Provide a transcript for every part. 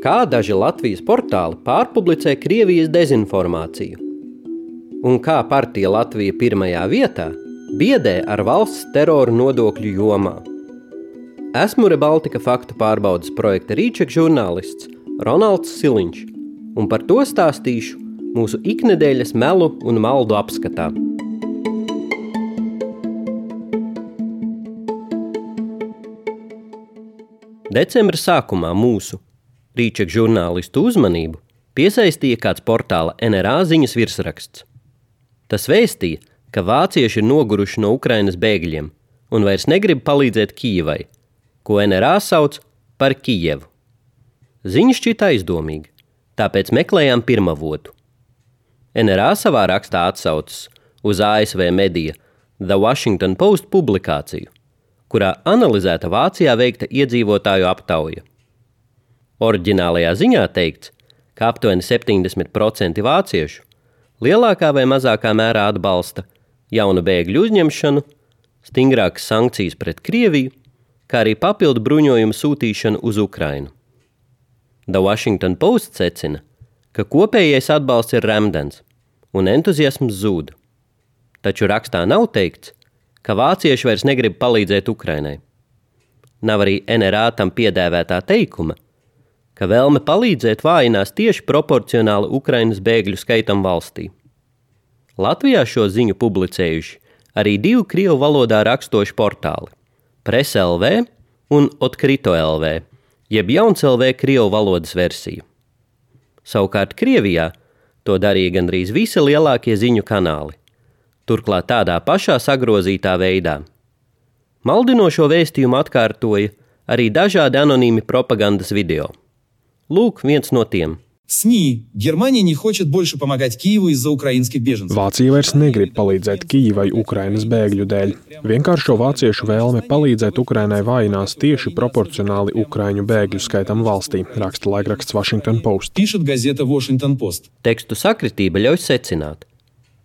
Kā daži Latvijas portāli pārpublicē Krievijas dezinformāciju? Un kā partija Latvija pirmajā vietā biedē ar valsts teroru nodokļu jomā? Esmu Rebaltika faktu pārbaudes projekta Rīček žurnālists Ronalds Siliņš, un par to stāstīšu mūsu iknedēļas melu un maldu apskatā. Decembra sākumā mūsu Rīček žurnālistu uzmanību piesaistīja kāds portāla NRA ziņas virsraksts. Tas vēstīja, ka vācieši ir noguruši no Ukrainas bēgļiem un vairs negrib palīdzēt Kijevai, ko NRA sauc par Kijevu. Ziņa šķita aizdomīga, tāpēc meklējām pirmavotu. NRA savā rakstā atsaucas uz ASV medija The Washington Post publikāciju, kurā analizēta Vācijā veikta iedzīvotāju aptauja. Oriģinālajā ziņā teikts, ka aptuveni 70% vāciešu lielākā vai mazākā mērā atbalsta jaunu bēgļu uzņemšanu, stingrākas sankcijas pret Krieviju, kā arī papildu bruņojumu sūtīšanu uz Ukrainu. The Washington Post secina, ka kopējais atbalsts ir remdens un entuziasms zūd. Taču rakstā nav teikts, ka vācieši vairs negrib palīdzēt Ukrainai. Nav arī NRA tam piedēvētā teikuma, ka vēlme palīdzēt vājinās tieši proporcionāli Ukrainas bēgļu skaitam valstī. Latvijā šo ziņu publicējuši arī 2 krievu valodā rakstoši portāli – Presa LV un Otkrito LV, jeb Jauns LV krievu valodas versiju. Savukārt Krievijā to darīja gandrīz visi lielākie ziņu kanāli, turklāt tādā pašā sagrozītā veidā. Maldinošo vēstījumu atkārtoja arī dažādi anonīmi propagandas video. Lūk, viens no tiem. СМИ. Германия не хочет больше помогать Киеву из-за украинских беженцев. Vācija vairs negrib palīdzēt Kijevai Ukrainas bēgļu dēļ. Vienkāršo vāciešu vēlme palīdzēt Ukrainai vājinās tieši proporcionāli ukraiņu bēgļu skaitam valstī, raksta laikraksts Washington Post. Пишет газета Washington Post. Tekstu sakritība ļauj secināt,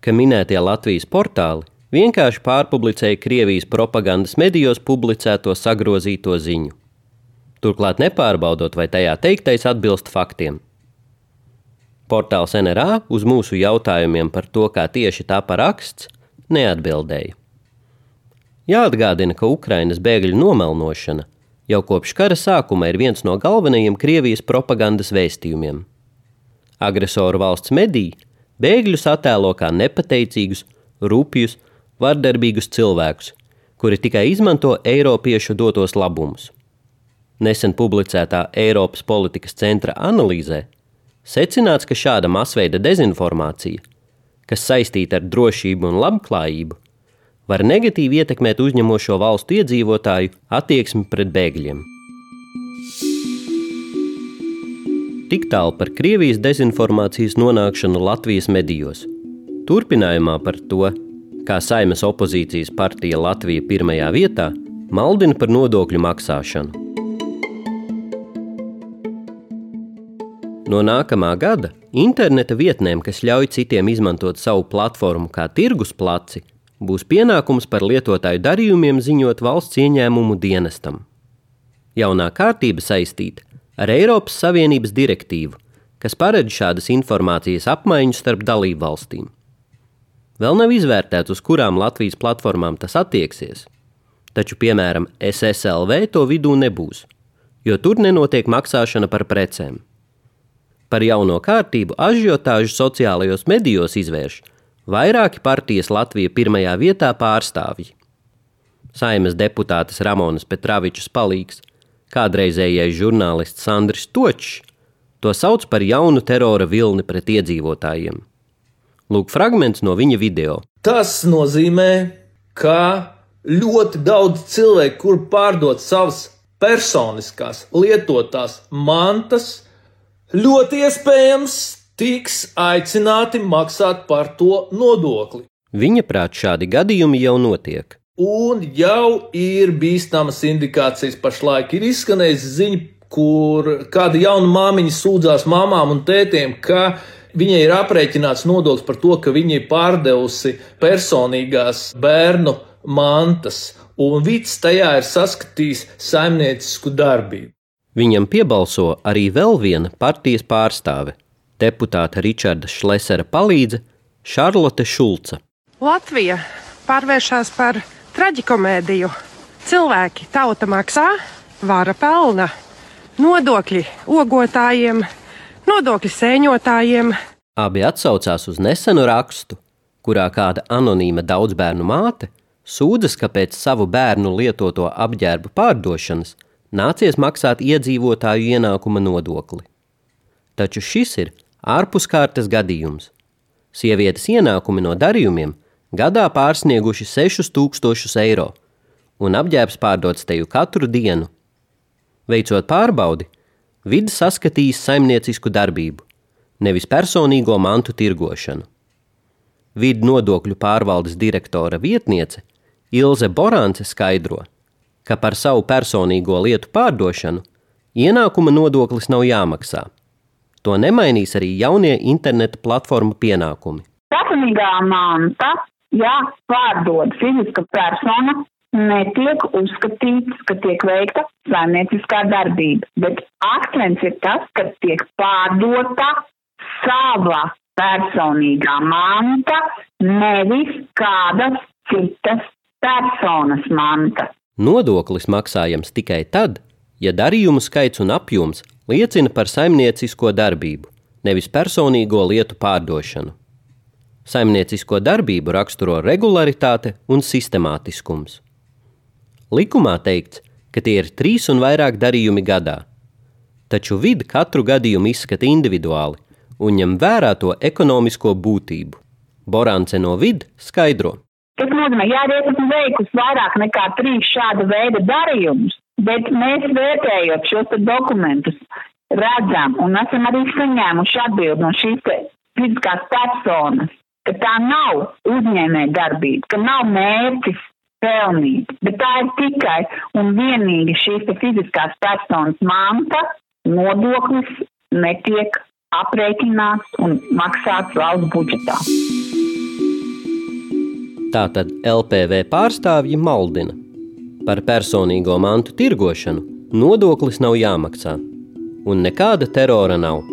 ka minētie Latvijas portāli vienkārši pārpublicēja Krievijas propagandas medijos publicēto sagrozīto ziņu. Turklāt nepārbaudot, vai tajā teiktais atbilst faktiem. Portāls NRA uz mūsu jautājumiem par to, kā tieši tā paraksts, neatbildēja. Jāatgādina, ka Ukrainas bēgļu nomelnošana jau kopš kara sākuma ir viens no galvenajiem Krievijas propagandas vēstījumiem. Agresoru valsts mediji bēgļus attēlo kā nepateicīgus, rupjus, vardarbīgus cilvēkus, kuri tikai izmanto eiropiešu dotos labumus. Nesen publicētā Eiropas politikas centra analīzē secināts, ka šāda masveida dezinformācija, kas saistīta ar drošību un labklājību, var negatīvi ietekmēt uzņemošo valstu iedzīvotāju attieksmi pret bēgļiem. Tik tālu par Krievijas dezinformācijas nonākšanu Latvijas medijos. Turpinājumā par to, kā Saeimas opozīcijas partija Latvija pirmajā vietā maldina par nodokļu maksāšanu. No nākamā gada interneta vietnēm, kas ļauj citiem izmantot savu platformu kā tirgus placi, būs pienākums par lietotāju darījumiem ziņot valsts ieņēmumu dienestam. Jaunā kārtība saistīta ar Eiropas Savienības direktīvu, kas paredz šādas informācijas apmaiņu starp dalību valstīm. Vēl nav izvērtēts, uz kurām Latvijas platformām tas attieksies, taču, piemēram, SSLV to vidū nebūs, jo tur nenotiek maksāšana par precēm. Par jauno kārtību ažiotāžu sociālajos medijos izvērš vairāki partijas Latvija pirmajā vietā pārstāvji. Saeimas deputātes Ramonas Petravičas palīgs, kādreizējais žurnālists Sandris Točs, to sauc par jaunu terora vilni pret iedzīvotājiem. Lūk fragments no viņa video. Tas nozīmē, ka ļoti daudz cilvēku, kur pārdot savas personiskās lietotās mantas, ļoti iespējams tiks aicināti maksāt par to nodokli. Viņa prāt šādi gadījumi jau notiek. Un jau ir bīstamas indikācijas pašlaik. Ir izskanējis ziņa, kur kāda jauna māmiņa sūdzās mamām un tētiem, ka viņai ir aprēķināts nodoklis par to, ka viņa ir pārdevusi personīgās bērnu mantas, un Vits tajā ir saskatījis saimniecisku darbību. Viņam piebalso arī vēl viena partijas pārstāve, deputāta Ričarda Šlesera palīdze Šarlote Šulca. Latvija pārvēršas par traģikomēdiju. Cilvēki, tauta maksā, vara pelna, nodokļi ogotājiem, nodokļi sēņotājiem. Abi atsaucās uz nesenu rakstu, kurā kāda anonīma daudzbērnu māte sūdzas, ka pēc savu bērnu lietoto apģērbu pārdošanas nācies maksāt iedzīvotāju ienākuma nodokli. Taču šis ir ārpuskārtas gadījums. Sievietes ienākumi no darījumiem gadā pārsnieguši 6000 eiro, un apģērbs pārdots teju katru dienu. Veicot pārbaudi, vide saskatījis saimniecisku darbību, nevis personīgo mantu tirgošanu. Vide nodokļu pārvaldes direktora vietniece Ilze Borānce skaidro, ka par savu personīgo lietu pārdošanu ienākuma nodoklis nav jāmaksā. To nemainīs arī jaunie interneta platformu pienākumi. Personīgā manta, ja pārdod fiziska persona, netiek uzskatīts, ka tiek veikta saimnieciskā darbība, bet akcents ir tas, ka tiek pārdota sava personīgā manta, nevis kādas citas personas manta. Nodoklis maksājams tikai tad, ja darījumu skaits un apjoms liecina par saimniecisko darbību, nevis personīgo lietu pārdošanu. Saimniecisko darbību raksturo regularitāte un sistemātiskums. Likumā teikts, ka tie ir 3 un vairāk darījumi gadā, taču vide katru gadījumu izskata individuāli un ņem vērā to ekonomisko būtību. Borānce no vide skaidro. Tas nozīmē, ja arī esmu veikusi vairāk nekā 3 šāda veida darījumus, bet mēs vērtējot šos dokumentus redzam un esam arī saņēmuši atbildi no šīs fiziskās personas, ka tā nav uzņēmē darbība, ka nav mērķis pelnīt, bet tā ir tikai un vienīgi šīs fiziskās personas manta, nodoklis netiek aprēķināts un maksāts valsts budžetā. Tātad LPV pārstāvji maldina. Par personīgo mantu tirgošanu nodoklis nav jāmaksā, un nekāda terora nav.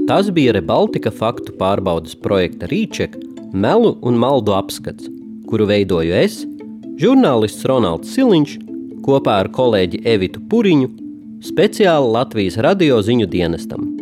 Tas bija Rebaltika faktu pārbaudes projekta Rīček melu un maldu apskats, kuru veidoju es, žurnālists Ronalds Siliņš, kopā ar kolēģi Evitu Puriņu, speciāli Latvijas radio ziņu dienestam.